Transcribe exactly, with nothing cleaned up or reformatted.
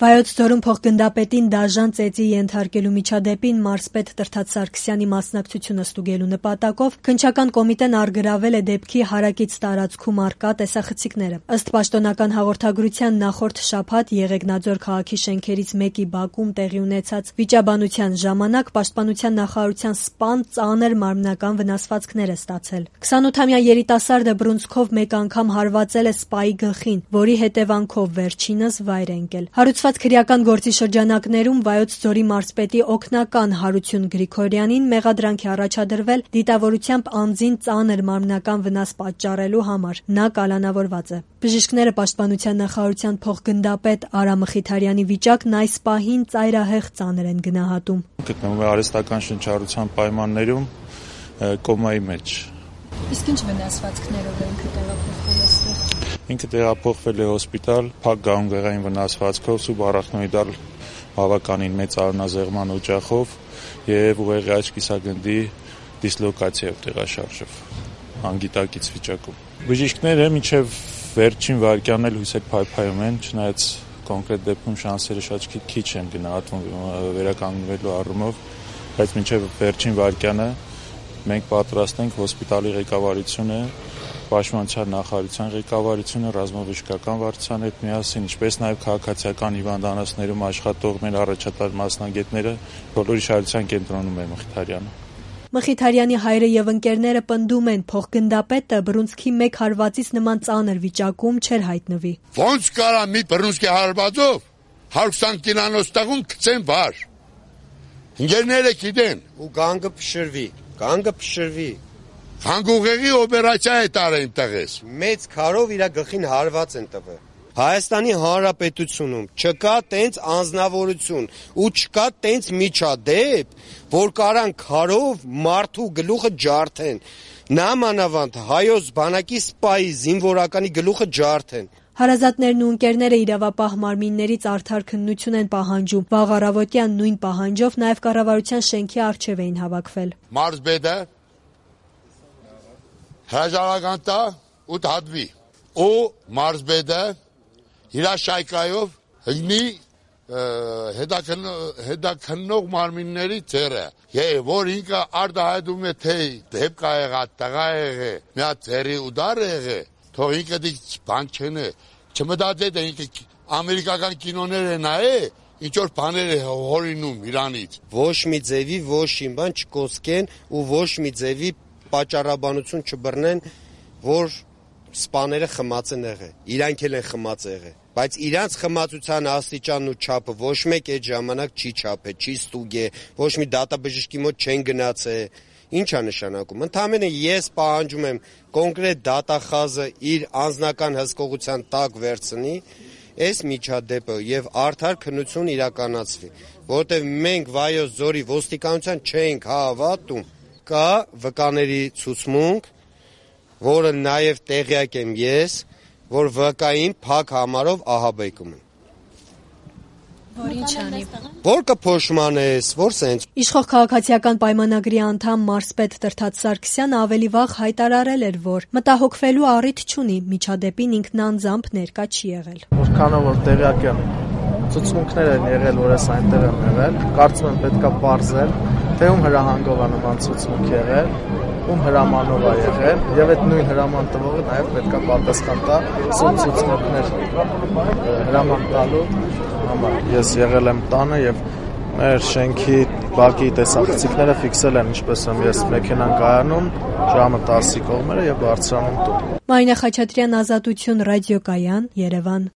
Վայոց ձորում փոխգնդապետին դաժան ծեծի ենթարկելու միջադեպին մարզպետ Տրդատ Սարգսյանի մասնակցությունը ստուգելու նպատակով քննչական կոմիտեն առգրավել է դեպքի հարակից տարածքում առկա տեսախցիկները։ Ըստ պաշտոնական հաղորդագրության նախորդ շաբաթ Եղեգնաձոր քաղաքի շենքերից մեկի բակում տեղի ունեցած վիճաբանության ժամանակ պաշտպանության նախարարության սպան ծանր մարմնական վնասվածքներ է ստացել։ քսանութամյա երիտասարդը բռունցքով մեկ անգամ հարվածել է սպայի գլխին, որի հետևանքով վերջինս վայր է ընկել։ Հարուցված քրեական գործի շրջանակներում Վայոց ձորի մարզպետի օգնական Հարություն Գրիգորյանին մեղադրանք է առաջադրվել դիտավորությամբ անձին ծանր մարմնական վնաս պատճառելու համար։ Նա կալանավորված է։ Բժիշկները պաշտպանության նախարարության փոխգնդապետ Արա Մխիթարյանի վիճակն այս պահին ծայրահեղ ծանր են գնահատում։ Գտնվում է արհեստական շնչառության պայմաններում կոմայի մեջ։ Իսկ ինչ վնասվածքներով է ինքը տեղափոխվել այստեղ։ Ինքը տեղափոխվել է հոսպիտալ փակ գանգեղային վնասվածքով, սուբարախնոիդալ բավականին մեծ արյունազեղման օջախով եւ ուղեղի աջ կիսագնդի դիսլոկացիայով տեղաշարժով անգիտակից վիճակում։ Բժիշկները մինչեւ վերջին վայրկյանն էլ հույսեր փայփայում են, չնայած կոնկրետ դեպքում շանսերը շատ քիչ են գնահատվում վերականգնվելու առումով, բայց մինչեւ վերջին վայրկյանը մենք պատրաստ ենք հոսպիտալի ղեկավարությունը, պաշտպանության նախարարության ղեկավարությունը, ռազմավարական վարչության հետ միասին, ինչպես նաև քաղաքացիական հիվանդանոցներում աշխատող մեր առաջատար մասնագետները բոլորի շահության կենտրոնում է Մխիթարյանը։ Մխիթարյանի հայրը եւ ընկերները պնդում են, փոխգնդապետը բռունցքի մեկ հարվածից նման ծանր վիճակում չէր հայտնվի։ Ոնց կարա մի բռունցքի հարվածով հարյուր քսան կիլոանոց տղուն գցեն վար։ Ընկերները գիտեն ու գանգը փշրվի, գանգը փշրվի։ Հանգուղեղի օպերացիա է տարել տղես։ Մեծ քարով իր գլխին հարված են տվել։ Հայաստանի Հանրապետությունում չկա տենց անձնավորություն ու չկա տենց միջադեպ, որ կարան քարով մարդու գլուխը ջարդեն։ Նամանավանդ հայոց բանակի սպայի զինվորականի գլուխը ջարդեն։ Հարազատներն ու ընկերները իրավապահ մարմիններից արդար քննություն են պահանջում։ Վաղ առավոտյան նույն պահանջով նաև կառավարության շենքի առջև էին հավաքվել։ Մարզպետը հրաժարական տա ու դատվի։ Ու մարզպետը հրաշայքայով հնի հետաքննող մարմինների ձեռը, որ ինքը արտահայտում է թե դեպք ա եղած, տղա եղե, մի հատ ձեռի ուդար եղե, թող ինքը դիք բան չնե, չմտածեք թե ինքը ամերիկական կինոներ է նայե, ինչ որ բաներ է հորինում Իրանից։ Ոչ մի ձևի ոչ մի բան չկոսկեն ու ոչ մի ձևի պատճառաբանություն չբռնեն, որ սպաները խմած են եղել։ Իրանք էլ են խմած եղել, բայց իրանց խմածության աստիճանն ու չափը ոչ մեկ այդ ժամանակ չի չափե, չի ստուգե, ոչ մի դատաբժշկի մոտ չեն գնացել։ Ինչ է նշանակում։ Ընդհանրապես ես պահանջում եմ կոնկրետ դատախազը իր անձնական հսկողության տակ վերցնի այս միջադեպը եւ արդար քննություն իրականացվի, որտեղ մենք Վայոց ձորի ոստիկանության չենք հավատում։ Կա վկաների ցուցմունք, որը նաեւ տեղյակ եմ ես, որ վկային փակ համարով ահաբեկում են։ Որ ինչ անի։ Որ կփոշմանես, որ սենց։ Իշխող քաղաքացիական պայմանագրի անդամ մարզպետ Տրդատ Սարգսյանը ավելի վաղ հայտարարել էր, որ մտահոգվելու առիթ չունի, միջադեպին ինքն անձամբ ներկա չի եղել։ Որքանով որ տեղյակ եմ, ցուցմունքներ են եղել, որ ես այնտեղ եմ եղել, կարծում եմ պետքա պարզել, թե ում հրահանգով է նման ցուցմունք եղել, ում հրամանով է եղել, եւ այդ նույն հրաման տվողը նաեւ պետքա պատասխան տա սուտ ցուցմունքներ հրաման տալու համար։ Ես եղել եմ տանը եւ մեր շենքի բակի տեսախցիկները ֆիքսել են, ինչպես եմ ես մեքենան կայանում, ժամը տասի կողմերը եւ բարձրանում տուն։ Մարինա Խաչատրյան, Ազատություն, ռադիոկայան, Երևան։